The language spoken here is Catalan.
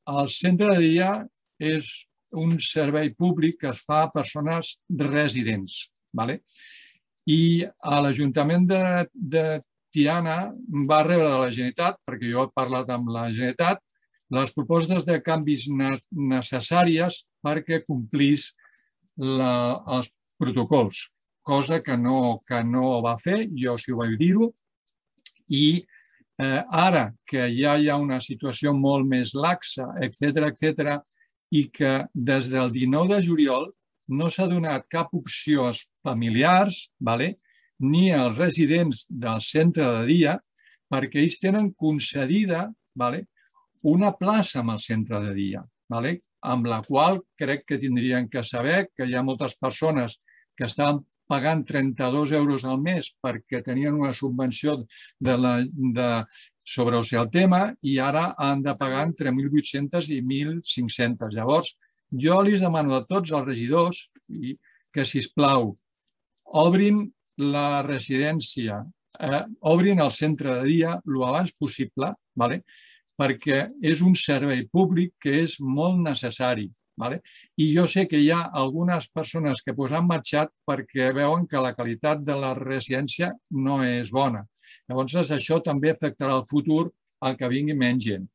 El centre de dia és un servei públic que es fa a persones residents. I l'Ajuntament de Tiana va rebre de la Generalitat, perquè jo he parlat amb la Generalitat, les propostes de canvis necessàries perquè complís els protocols, cosa que no va fer, jo sí ho vaig dir-ho, i ara que ja hi ha una situació molt més laxa, etc., i que des del 19 de juliol no s'ha donat cap opció als familiars ni als residents del centre de dia perquè ells tenen concedida una plaça en el centre de dia, amb la qual crec que tindrien que saber que hi ha moltes persones que estan pagant 32 euros al mes perquè tenien una subvenció sobre el tema i ara han de pagar entre 1.800 i 1.500. Llavors, jo els demano a tots els regidors que, sisplau, obrin la residència, obrin el centre de dia el més abans possible, perquè és un servei públic que és molt necessari. I jo sé que hi ha algunes persones que han marxat perquè veuen que la qualitat de la residència no és bona. Llavors, això també afectarà el futur al que vingui menys gent.